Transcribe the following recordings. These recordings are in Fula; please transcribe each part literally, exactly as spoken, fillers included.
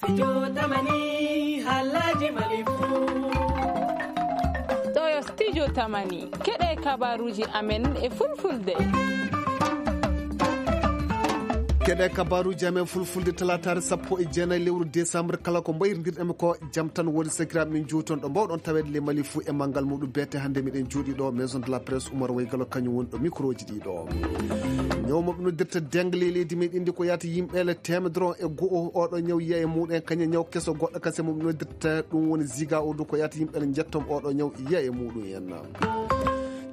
Studio Tamani, haalaaji Mali fuu. Ɗo yo Studio Tamani, keɗe kabaruuji amen e fulfulde. Keɗe kabaruuji amen fulfulde, talaataare sappo e jeenayi lewru décembre, kala ko mbayrondirɗen ko jam tan woni sakiraaɓe men, njuuton ɗo mbawɗon taweede ley Mali fuu e manngal muɗum. Beete hannde miɗen jooɗii ɗo Maison de la Presse, Oumar Waygalo kañum woni ɗo microji ɗi ɗo. Ñaw mo ɓe noddirta dengue ley leydi meɗen ndi ko yaata yimɓe le teemedere e go'o, oɗo ñaw yiya e muɗum en, kañum ñaw keso goɗɗo kase mo ɓe noddirta ɗum woni ziga o du ko yaata yimɓe le njettom oɗo ñaw yiya e muɗum en.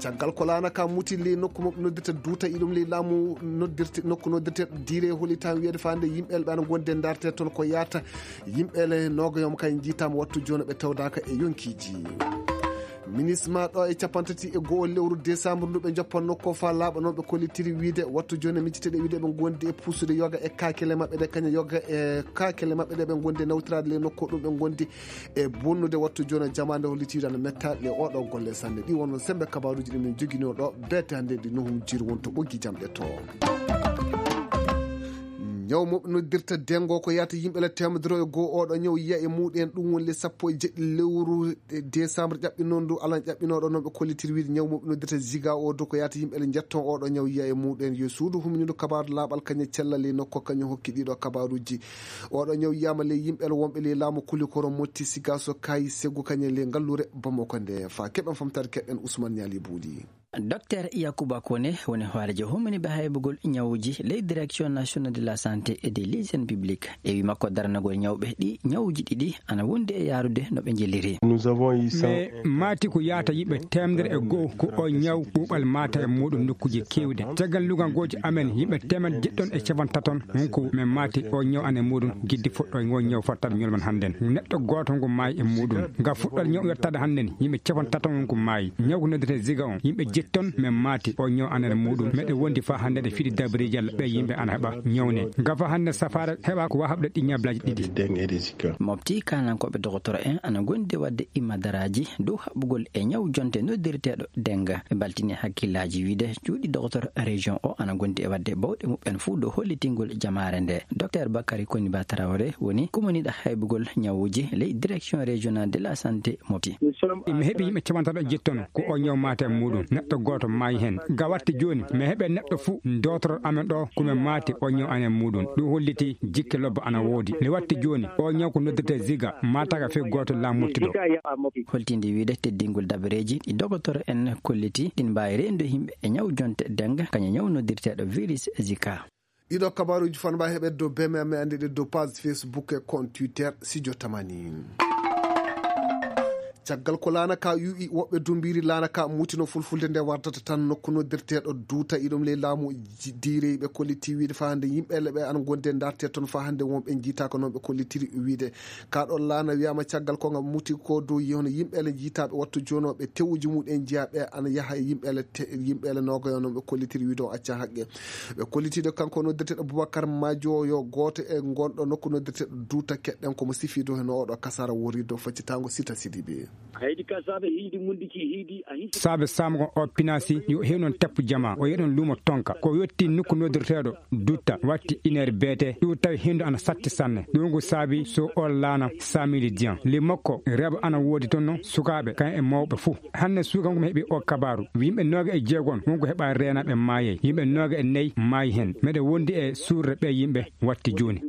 Caggal ko laana ka muti ley nokku mo ɓe noddirta duuta iɗum ley laamu noddirte, nokku noddirte dire holi tan wiyede fande yimɓe le ɓe ana gonde ndarte toon ko yaata yimɓe le noga yom kay jiitama wattu jooni ɓe tawdaka e yonkiiji. Ministre ma ɗo e capantati e go'o lewru décembre ndu ɓe joppanno ko fa laaɓa noon ɓe kollitiri wiide wattu jooni micciteɗe wiide ɓe gondi e puusude yoga e kakele maɓɓe ɗe kaña yoga e kakele maɓɓe ɗe ɓe gondi e nawtirade le nokku ɗum ɓe gondi e bonnude wattu jooni jamaande hollitiiɗo ana metta le oɗo golle sanne ɗi wonno sembe kabaruuji ɗi min jogino ɗo beete hannde ɗi nohum jiru wonto ɓoggi jamɗe to. Ñaw mo ɓe noddirta dengo ko yahata yimɓe le teemedere e goo oɗo ñaw yiya e muɗen ɗum woni le sappo e jeɗɗi lewru décembre ƴaɓɓi noon ndu alan ƴaɓɓinooɗo noon ɓe kollitir wiide ñaw mo ɓe noddirta ziga o do ko yahata yimɓe le njetton oɗo ñaw yiya e muɗen yo suudu huminindo kabaru laaɓal kañum cellal e nokko kañum hokki ɗiɗo kabaruuji. Oɗo ñaw yiyama le yimɓe le wonɓe le laamu kuli koro motti sigaso kayi seggu kañum le ngallure bamako nde fa keɓen famtare keɗen Ousmane Ñaali Buuli. Docteur Yakuba Kone woni hoorejo humminiɓe haybugol ñawuji ley Direction Nationale de la Santé et de l'Hygiène Publique. E wi makko daranagol ñawɓe ɗi ñawuji ɗiɗi ana wondi e yaarude no ɓe njelliri. Nous avons eu cent mais maati ko yaata yimɓe teemedere e go'o ko o ñaw ɓuuɓal maata e muɗum nokkuji kewɗe. Caggal lugal gooji amen yimɓe teemedere jeɗɗon e capantaton hunko men maati o ñaw ana e muɗum giddi fuɗɗo ngo ñaw fottaɓe ñolman hannden neɗɗo gooto ngo maayi e muɗum. Nga fuɗɗoto ñaw wertaade hannden yimɓe capantaton hunko maayi. Ñaw ko noddete ziga on yimɓe jetton men maati o ñaw anere muɗum meɗe wondi fa hannde ɗe fiɗi dabreji Allah ɓe yimɓe ana heɓa ñawne. Nga fa hannde safaara heɓa ko wa haɓde ɗi ñablaaji ɗiɗi. Mofti kanankoɓe dogotoro en ana gondi wadde imadaraaji dow haɓugol e ñaw jonte noddirteeɗo denga. Ɓe mbaltini hakkillaaji wiide cuuɗi dogotoro région o ana gondi e wadde bawɗe muɓɓen fuu dow hollitingol jamaare nde. Docteur Bakary Koniba Traoré woni kumaniɗo haybugol ñawuji ley Direction Régionale de la Santé Mofti. Mi heɓi yimɓe capantato e jettono ko o ñaw maata e muɗum neɗɗo gooto maayi heen. Ga watte jooni mi heɓe neɗɗo fuu dotoro amen ɗo ko men maati o ñaw anen muɗum ɗum holliti jikke lobba ana woodi. Nde watte jooni o ñaw ko noddirte ziga maataka fii gooto laamottiɗo. Holtinde wiide teddingol dabareeji ɗi dogotoro en kolliti ɗin mbaawi reenude yimɓe e ñaw jonte denga kañum ñaw noddirteeɗo virus zika. Ɗiɗo kabaruuji fan mbawi heɓede dow beme amen anndi ɗe dow page Facebook e compte Twitter sijo tamani. Caggal ko laana ka yu'i woɓɓe dumbiri laana ka mutino fulfulde nde wardata tan nokku noddirteɗo duuta iɗum ley laamu diirey ɓe kolliti wiide fa hannde yimɓe le ɓe an gonde darte toon fa hannde wonɓe jiita ko noon ɓe kollitiri wiide ka ɗon laana wiyama caggal ko nga muti ko dow yi hono yimɓe le jiitaɓe wattu jonoɓe tewuji muɗen jeeyaɓe ana yaha e yimɓe le yimɓe le nogoyo noon ɓe kollitiri wiide o acca haqqe. Ɓe kollitiiɗo kanko noddirteeɗo Boubacar Madio yo gooto e ngonɗo nokku noddirteeɗo duuta keɗɗen komo sifiido heno oɗo kasara worido faccitaango sita sidiɓe. Haydi ka saabe hiidi mundiki hiidi a hisi. Saabe saamgo o pinasi yo hew noon teppu jama o yeɗon luumo tonka ko yetti nokku noddirteeɗo dutta watti iner beete ɗum tawi hendo ana satti sanne ɗum ko saabi so o laana samidi dian le makko reba ana woodi toon noon sukaaɓe kan e mawɓe fuu. Hannde suuka ngu mi heɓi o kabaaru yimɓe nooga e jeegon wonko heɓa reenaɓe maayey yimɓe nooga e nayi maayi heen meɗe wondi e suurde ɓe yimɓe watti jooni.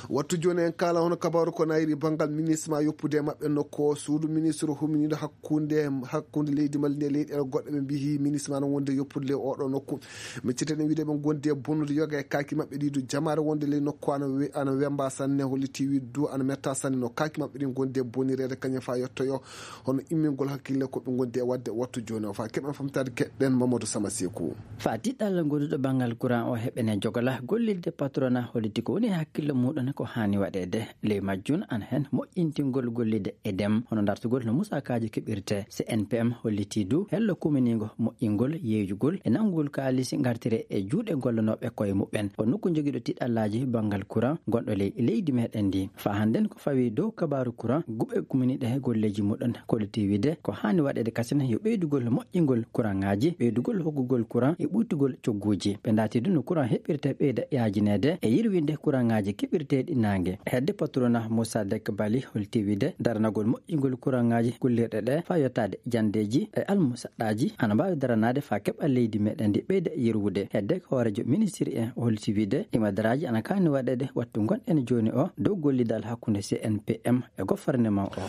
Wattu jooni en kaala hono kabaaru ko nayri banngal ministre ma yoppude e maɓɓe nokku o suudu ministre huminiiɗo hakkunde hakkunde leydi mali nde leyɗeele goɗɗe ɓe mbiyi ministre ma no wonde yoppude ley oɗo nokku. Miccete ɗen wiide ɓe gondi e bonnude yoga e kaaki maɓɓe ɗi du jamaare wonde ley nokku ana we- ana wemba sanne holliti wiide du ana metta sanne no kaaki maɓɓe ɗin gondi e bonnireede kañum fa yettoyo hono immingol hakkille ko ɓe gondi e wadde wattu jooni o fa keɓen famtaade keɗɗen mamadou sama seku. Fa tiɗɗalla goduɗo banngal courant o heɓene jogala gollirde patrona holliti ko woni e hakkille Muɗon ko haani waɗeede ley majjun an heen moƴƴintingol gollide e dem, hono dartugol no musaakaaji keɓirte. C N P M hollitii du hello kuminiingo moƴƴingol yeeyugol e nanngugol kaalisi ngartire e juuɗe gollanooɓe koye muɓɓen. Ko nokku jogiiɗo tiɗallaaji banngal kuran gonɗo ley leydi meɗen ndi. Faa hannden ko fawii dow kabaaru kuran, guɓe kuminiiɗe he golleeji muɗon kollitii wiide ko haani waɗeede kasen yo ɓeydugol moƴƴingol kuraŋaaji, ɓeydugol hokkugol kuran e ɓuytugol cogguuji. Ɓe ndaati du no kuran heɓirte ɓeyda yaajineede e yirwinde kuraŋaaji keɓirteeɗi naange. Hedde patrona Moussa Dek Bali holti wiide daranagol moƴƴingol kuraŋaaji kullirɗe ɗe faa yottaade janndeeji e almusaɗɗaaji ana mbaawi daranaade faa keɓal leydi meɗen ndi ɓeyda yirwude. Hedde ko hooreejo ministiri en holti wiide imadaraaji ana kaani waɗeede wattu ngonɗen jooni o dow gollidal hakkunde C N P M e gouvernement o.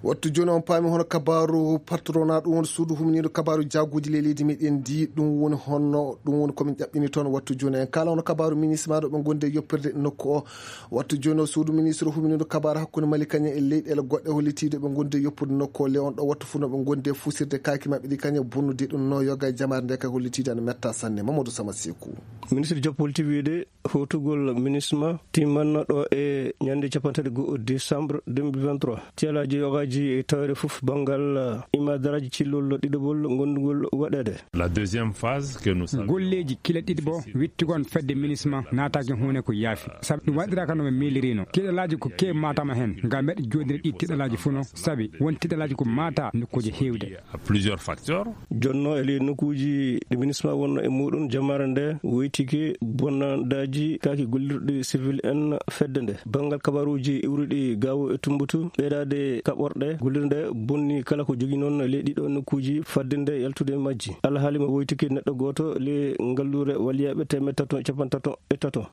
Wattu jooni on paami hono kabaaru patrona, ɗum woni suudu humniiɗo kabaaru jaaguuji ley leydi meɗen ndi, ɗum woni honno, ɗum woni komin ƴaɓɓini toon. Wattu jooni en kaala hono kabaaru minisma ɗo ɓe ngondi e yoppirde nokku o. Wattu jooni o suudu ministre humniiɗo kabaaru hakkunde Mali kañum e leyɗeele goɗɗe hollitiiɗo ɓe ngondi e yoppude nokku o. Le on ɗo wattu fuu no ɓe ngondi e fusirde kaaki maɓɓe ɗi kañum bonnude ɗum no yoga e jamaare nde kay hollitiiɗo ana metta sanne. Mamadou Sama Seku. Ministre Diop holti wiide hotugol minisma timmanno ɗo e ñande capanɗe tati go'o décembre deux mille vingt-trois. Tiyalaaji yogaaji e tawre fof banngal, eh, imadaraaji cillol ɗiɗaɓol ngonndugol waɗeede. La deuxième phase que nous saluons. Golleeji kila ɗiɗi bo wittugon fedde minisma naataaki huune ko yaafi. Sabu ɗum waɗiraaka no ɓe miilirino. Tiɗalaaji ko keewi maataama heen. Ngam meɗe jooɗiri ɗi tiɗalaaji fof no sabi won tiɗalaaji ko maata nokkuuji heewde. À plusieurs facteurs. Jonno e ley nokkuuji ɗi minisma wonno e muɗum, jamaare nde woytike bonnandaaji kaaki gollirɗi civil en fedde nde. Banngal kabaruuji iwruɗi Gaawo e Tumbutu, ɓeydaade kaɓorɗe gollirɗe bonni kala ko jogi noon ley ɗiɗo nokkuuji fadde nde yaltude e majji. Alhaali mo woytike neɗɗo gooto ley ngalluure waliyaɓe teemeɗɗe tato e capanɗe tato e tato.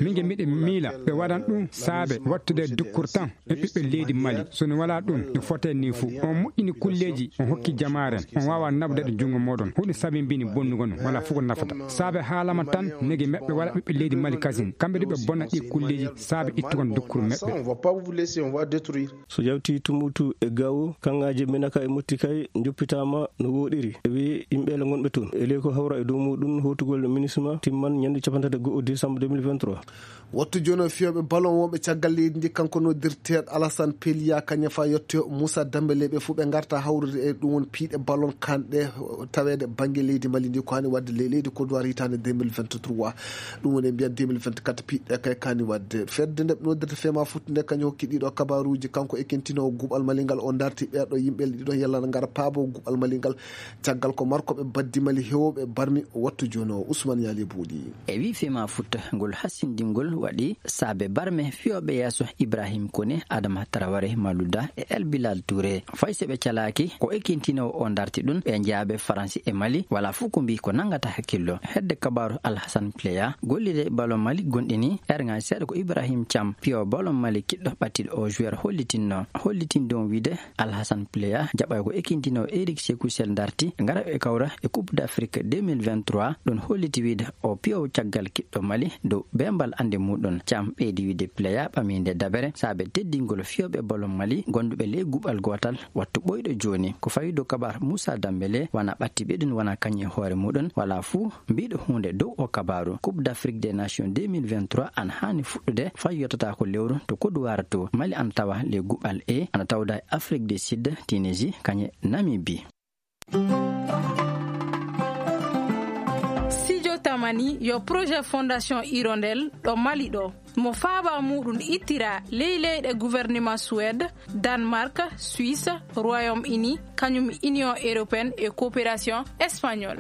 Min je miɗe miila ɓe waɗan ɗum saabe wattude dukkur tan e ɓiɓɓe leydi Mali. So no walaa ɗum, no fotee ni fuu. On moƴƴini kulleeji, on hokki jamaaren, on waawaa naɓude ɗo junngo mooɗon. Huɗo sabimbini bonnugo no, walaa fuu ko nafata. Saabe haalama tan, nege meɓɓe waɗa ɓiɓɓe leydi Mali kasin. Kamɓe du ɓe bonna ɗi kulleeji, saabe ittugon dukkuru meɓɓe. On va pas vous laisser, on va détruire. So yawti Tumbutu e Gaawo, kaŋŋaaji Menaka e Motti kay njoppitaama no wooɗiri. E wi yimɓe le ngonɓe toon. E ley ko hawra e dow muɗum hotugol minisma timman ñande capanɗe tati go'o décembre deux mille vingt-trois. Wattu jooni o fiyooɓe ballon wonɓe caggal leydi ndi, kanko noddirteeɗo Alassane Pelia, kañum faa yettoyo Moussa Dembélé, ɓe fof ɓe ngarta hawrude e ɗum woni piiɗe ballon kanɗe taweede bannge leydi Mali ndi, ko hani waɗde ley leydi Côte d'Ivoire hitaande deux mille vingt-trois. Ɗum woni e mbiyan deux mille vingt-quatre piiɗe kay kaani waɗde. Fedde nde ɓe noddirta Fema Foot nde kañum hokki ɗiɗo kabaruuji, kanko ekintinowo guɓal Mali ngal, o darti ɓeeɗo yimɓe ɗiɗon yalla na ngara paabo guɓal Mali ngal. Caggal ko markoɓe baddi Mali heewɓe barmi wattu jooni o. Ousmane Yaali Buuɗi. E wi Fema Foot ngol hasindingol waɗi saabe barme fiyooɓe yeeso Ibrahim Kone, Adama Traoré, Malouda e El Bilal Touré. Fay so ɓe calaaki, ko ekintinowo o darti ɗum, ɓe njaabe Faransi e Mali, wala fof ko mbi ko nangata hakkillo. Hedde kabaaru Alhassane Plea, gollide ballon Mali gonɗini, erŋaaji seeɗa ko Ibrahim Thiam, piyo ballon Mali kiɗɗo ɓattiɗo o joueur hollitinno. Hollitin ɗon wiide Alhassane Plea jaɓay ko ekintinowo Eric Sekou Sel darti, ngara e kawra e Coupe d'Afrique deux mille vingt-trois, ɗon holliti wiide o piyowo caggal kiɗɗo Mali dow bembal annde muɗum. Thiam ɓeydi wiide Plea ɓaminde dabere saabe teddingol fiyooɓe ballon Mali gonduɓe ley guɓal gootal wattu ɓoyɗo jooni. Ko fawi dow kabar Moussa Dembélé wana ɓatti ɓe ɗum wana kañum e hoore muɗum wala fuu mbiɗo huunde dow o kabaru. Coupe d'Afrique des Nations deux mille vingt-trois ana haani fuɗɗude fay yottata ko lewru to Côte d'Ivoire to. Mali ana tawa ley guɓal E, ana tawda e Afrique du Sud, Tunisie, kañe Namibie. Studio Tamani yo projet Fondation Hirondelle ɗo Mali ɗo. Mo faaba muɗum ittira ley leyɗe gouvernement Suède, Danemark, Suisse, Royaume-Uni, kañum Union Européenne e Coopération Espagnole.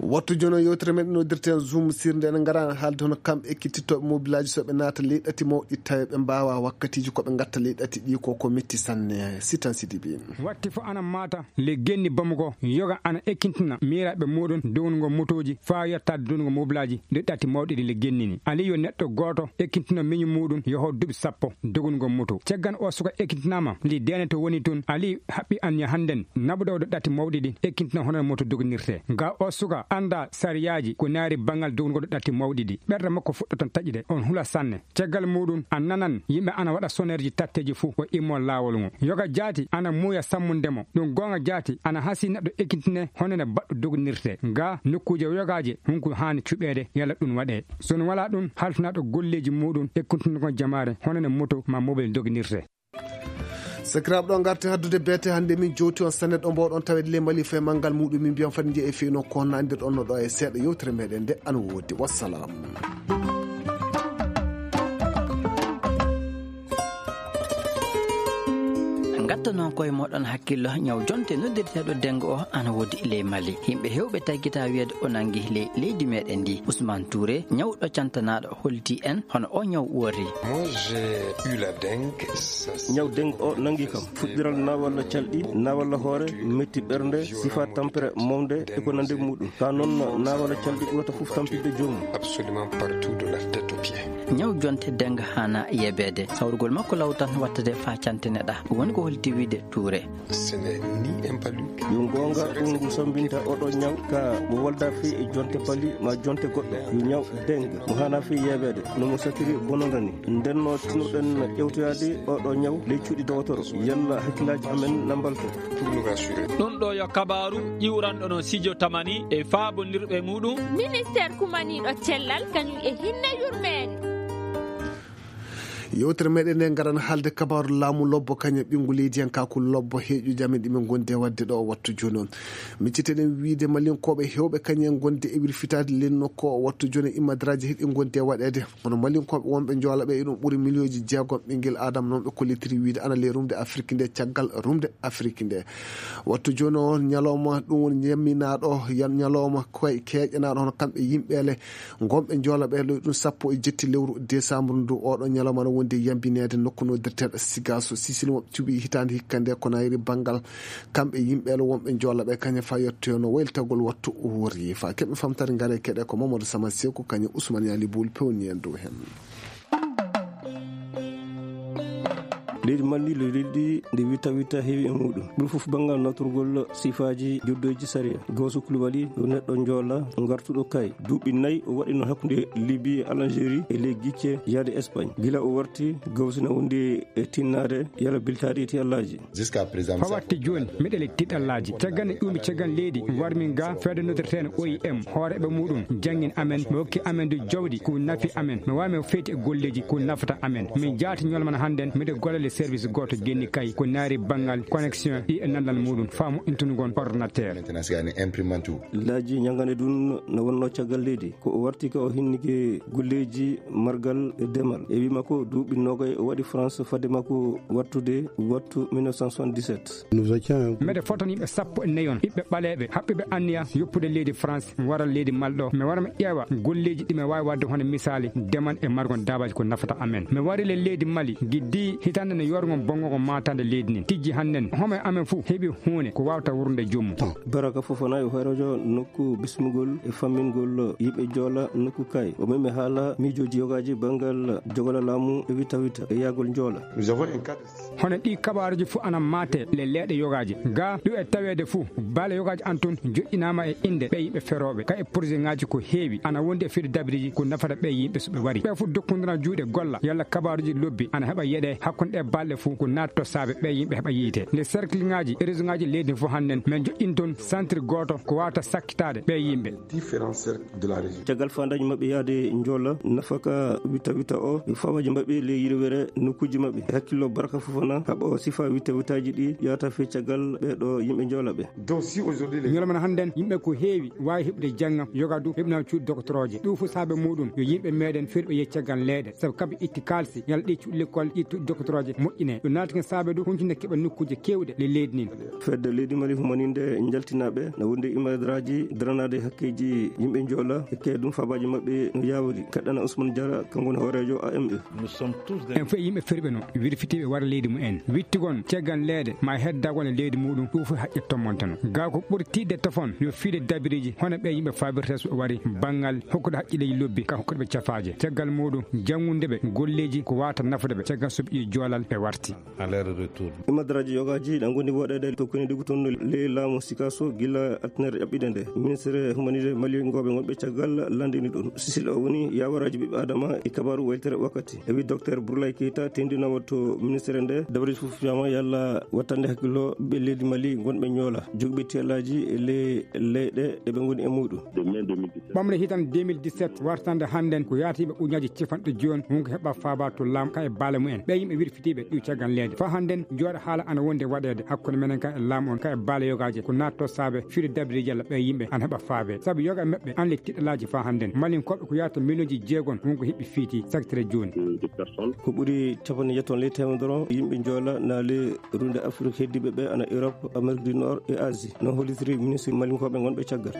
Wattu jono yewtere men noddirten Zoom sirde en ngara haalde hono kamɓe ekkittitooɓe mobilaaji so ɓe naata ley ɗati mawɗi tawi ɓe mbaawa wakkatiiji ko ɓe ngatta ley ɗati ɗi ko ko metti sanne. Sitan Sidibi. Watti fof ana maata le genni Bamako yoga ana ekkintina miiraaɓe muɗum downugol motooji faa yettaade downugol mobilaaji nde ɗati mawɗi ɗi le genni ni. Ali yo neɗɗo gooto ekkintina miñu muɗum yoho duuɓi sappo dogunugol moto. Caggal o suka ekkintinaama li deene to woni tun, Ali haɓɓi anniya hannden naɓude oɗo ɗati mawɗi ɗi ekkintina hono moto doginirte. Nga o suka annda sariyaaji ko naari banngal dognugol ɗatti mawɗi ɗi. Ɓerɗe makko fuɗɗoton taƴude, on hula sanne. Caggal muuɗum, a nanan yimɓe ana waɗa sonerji tatteeji fuu o immo laawol ngon. Yoga jaati ana muuya sammunde mo. Ɗum goonga jaati ana hasii neɗɗo ekintine hono ne baɗɗo dognirtee. Ga nokkuuje yogaaje, hunku haani cuɓeede yalla ɗum waɗee. So ɗum walaa ɗum, halfinaaɗo golleeji muuɗum ekkintungo jamaare hono ne moto maa mobel dognirtee. Sakiraaɓe, ɗo ngarti haddude beete hannde, min jowti on sanne ɗo mbawɗon taweede ley Mali fee manngal muuɗum. Min mbiyan fadi njiya e feyno ko honno anndirɗon no ɗo e seeɗa yewtere meɗen nde ana woodi. Wassalam. Ngatta noon koye moɗon hakkillo, ñaw jonte noddirteeɗo dengue o ana woodi ley Mali. Yimɓe heewɓe taggitaa wiyeede o nangi ley leydi meɗen ndi. Ousmane Touré, ñawɗo cantanaaɗo, holti en hono o ñaw woori. Moi, j'ai eu la dengue. Ñaw dengue o nangi kam fuɗɗiral naawalla calɗi, naawalla hoore, metti ɓernde, sifa tampere mawde e ko nande muuɗum. Ka noon naawalla calɗi ɓurata fof tampinde joomum. Absolument partout de la tête aux pieds. Ñaw jonte dengue haana yebeede. Sawrugol makko law tan wattade faa cantineɗaa. Woni ko holti wiide Touré. Ce n'est ni un palu. Yo goonga, ɗum ngu sambinta oɗo ñaw ka mo walda fii e jonte pali ma jonte goɗɗo. Yo ñaw dengue mo haana fii yebeede, no mo satiri bononda ni. Nden no tinnoɗen ƴewtoyaade oɗo ñaw ley cuuɗi dowotoro, yalla hakkillaaji amen na mbalto. Pour nous rassurer. Ɗum ɗo yo kabaaru ƴiwranɗo no Sidio Tamani e faabondirɓe muuɗum. Ministeer kumaniiɗo cellal kañum e hinne yurmeende. Yewtere meɗen nde ngaran haalde kabaaru laamu lobbo kañum ɓinngu leydiyankaaku lobbo heeƴuji amen ɗi min ngondi e waɗde ɗo o wattu jooni o. Micciteɗen wiide Malinkooɓe heewɓe kañum en ngondi e wirfitaade ley nokku o wattu jooni, immadraaji heɗi ngondi e waɗeede. Kono Malinkooɓe wonɓe Njoola ɓe, iɗum ɓuri miliyonji jeegom ɓinngel Aadama, noon ɓe kollitiri wiide ana ley rumde Afirki nde, caggal rumde Afirki nde. Wattu jooni o ñalawma, ɗum woni ñamminaaɗo, yan-, ñalawma koye keeƴanaaɗo hono kamɓe yimɓeele ngonɓe Njoola ɓe, ɗum sappo e jetti lewru décembre ndu. Oɗo ñalawma no wondi e yambineede nokku noddirteeɗo Sigaso, Sisili mo cuɓi hitaande hikka nde, ko nayri banngal kamɓe yimɓeele wonɓe Njoola ɓe, kañum fa yettoyoo no waylitagol wattu wori fa. Keɓe famtare ngare keɗe ko Mamadou Sama Seku, kañum Ousmane Yali Boul pewni en dow heen. Leydi Mali, leydi ndi witta witta heewi e muuɗum. Ɓuri fof banngal natorgol sifaaji joddoyji sariya. Gawsu Kulubali, yo neɗɗo Njoola, ngartuɗo Kay. Duuɓi nayi o waɗino hakkunde Libi e Algérie e ley gicce yaade Espagne. Gila o warti, Gawsu na wondi e tinnaade yala biltaaɗi e tiyallaaji. Jusqu'à présent, fa watti jooni, miɗo e tiiɗallaaji. Caggal nde ƴuumi caggal leydi, warmi ga fedde noddirteende O I M, hooreeɓe muuɗum, janngin amen, ɓe hokki amen du jawdi, ko nafi amen. Mi waawi mi feeti e golleeji, ko nafata amen. Min jaati ñalawma hannden, miɗo golla e service gooto genni Kay, ko naari banngal connexion ɗi e nanndal muuɗum, faa moƴƴintunugol ordinateur. Maintenant, c'est un imprimante. Laaji ñanngande ɗum no wonno caggal leydi. Ko o warti ka o hinnike golleeji margal e demal. E wii makko duuɓi noogay o waɗi France fadde makko wattude wattu mille neuf cent soixante-dix-sept. Nous étions un groupe. Mbeɗe fotani ɓe sappo e nayon, ɓiɓɓe ɓaleeɓe, haɓɓiiɓe anniya yoppude leydi France, mi wara leydi Mali ɗo. Mi wara mi ƴeewa golleeji ɗi mi waawi waɗde hono misaali demal e margol daabaaji ko nafata amen. Mi wari le leydi Mali, giddi hitaande nde yorgo bonngo ko maataade leydi ndin. Tijji hannden, homo e amen fuu heɓi huunde ko waawata wurnude joomum. Baraka Fofana yo hooreejo nokku bismugol e fammingol yimɓe Njoola nokku Kay. O memi haala miijooji yogaaji banngal jogola laamu e witta witta e yaagol Njoola. Nous avons un cadre. Hono ɗi kabaaruuji fof ana maate le leeɗe yogaaji. Ga ɗum e taweede fof, baale yogaaji an toon joƴƴinaama e innde ɓe yimɓe ferooɓe. Ka e projet ŋaaji ko heewi, ana wondi e fedde dabiriji ko nafata ɓe yimɓe so ɓe wari. Ɓe fof dokkondira juuɗe golla, yalla kabaaruuji lobbi ana heɓa yeɗe hakkunde ɗe balɗe fof ko naatto saabe ɓe yimɓe heɓa yiite. Nde cercle ŋaaji e réseau ŋaaji leydi fof hannden, min joƴƴin toon centre gooto ko waawata sakkitaade ɓe yimɓe. Différents cercles de la région. Caggal faandaaji maɓɓe yahde Njoola, nafaka witta witta o, e fawaji maɓɓe ley yirwere nokkuuji maɓɓe. E hakkillo Baraka Fofana, haɓa o sifa witta wittaaji ɗi yahata fii caggal ɓee ɗo yimɓe Njoola ɓe. Donc, si aujourd'hui les Ñalawma hannden, yimɓe ko heewi waawi heɓude jannga, yoga du heɓinaa cuuɗi doktorooje. Ɗum fof saabe muuɗum, yo yimɓe meɗen ferɓe yehi caggal leyɗe. Sabu kamɓe itti kaalisi, yalla ɗi cuuɗi lekkol, ɗi cuuɗi doktorooje moƴƴine. Ɗum naati ko saabe du, huncinde keɓa nokkuuje keewɗe ley leydi ndin. Fedde leydi Mali humaninde njaltinaaɓe, na wondi imadraaji daranaade hakkeeji yimɓe Njoola, e kay ɗum fabaaji maɓɓe no yaawiri. Kaɗɗana Ousmane Diarra, kanko woni hooreejo A M E. Nous sommes tous des En fof yimɓe ferɓe no, wirfitiiɓe wara leydi mumen. Wittugon caggal leyɗe, ma heddagol e leydi muuɗum, ɗum fof haqqe tommonteno. Gaa ko ɓuri tiiɗde tofon, yo fiide dabiriji, hono ɓe yimɓe faabirta so ɓe wari, banngal hokkude haqqilleeji lobbi, ka hokkude ɓe cafaaje. Caggal muuɗum, janngunde ɓe, golleeji ko waawata nafude ɓe. Caggal so ɓe ƴeewi joolal, e warti. Imadaraaji yogaaji ɗan ngoni waɗeede tokkini ɗigu tun ley laamu sikaaso gila altinere ƴaɓɓiɗe nde. Ministere humanide maliŋooɓe ngonɓe caggal landini ɗum. Sisil o woni yawaraaji ɓiɓɓe adama e kabaaru waytere wakkati. E wi doktor Burlay Keita tendinoowo to ministere nde, dabare fof fiyama yalla wattande hakkillo ɓe leydi Mali ngonɓe ñoola jogiɓe tiyalaaji e ley leyɗe ɗe ɓe ngoni e muɗum. Ɓamre hitan deux mille dix-sept wartande hannden ko yaatiiɓe ujunnaaji capanɗe jooni wonko heɓa faaba to laamu ka e baale mumen. Ɓe yimɓe wirfitiiɓe ɗiw caggal leydi. Faa hannden jooɗa haala ana wondi e waɗeede hakkunde menen ka e laamu on ka e baale yogaaje ko naatto saabe firi dabiriji yalla ɓe yimɓe ana heɓa faabe. Sabu yoga e maɓɓe an le tiɗɗalaaji faa hannden. Malinkooɓe ko yaata miliyonji jeegon wonko heɓi fiiti sakitere jooni. Ko ɓuri capanɗe jeeto ley teemedere yimɓe joola na ley runde Afrik heddiiɓe ɓe ana Europe, Amérique du Nord e Asie. No hollitiri ministre malinkooɓe ngonɓe caggal.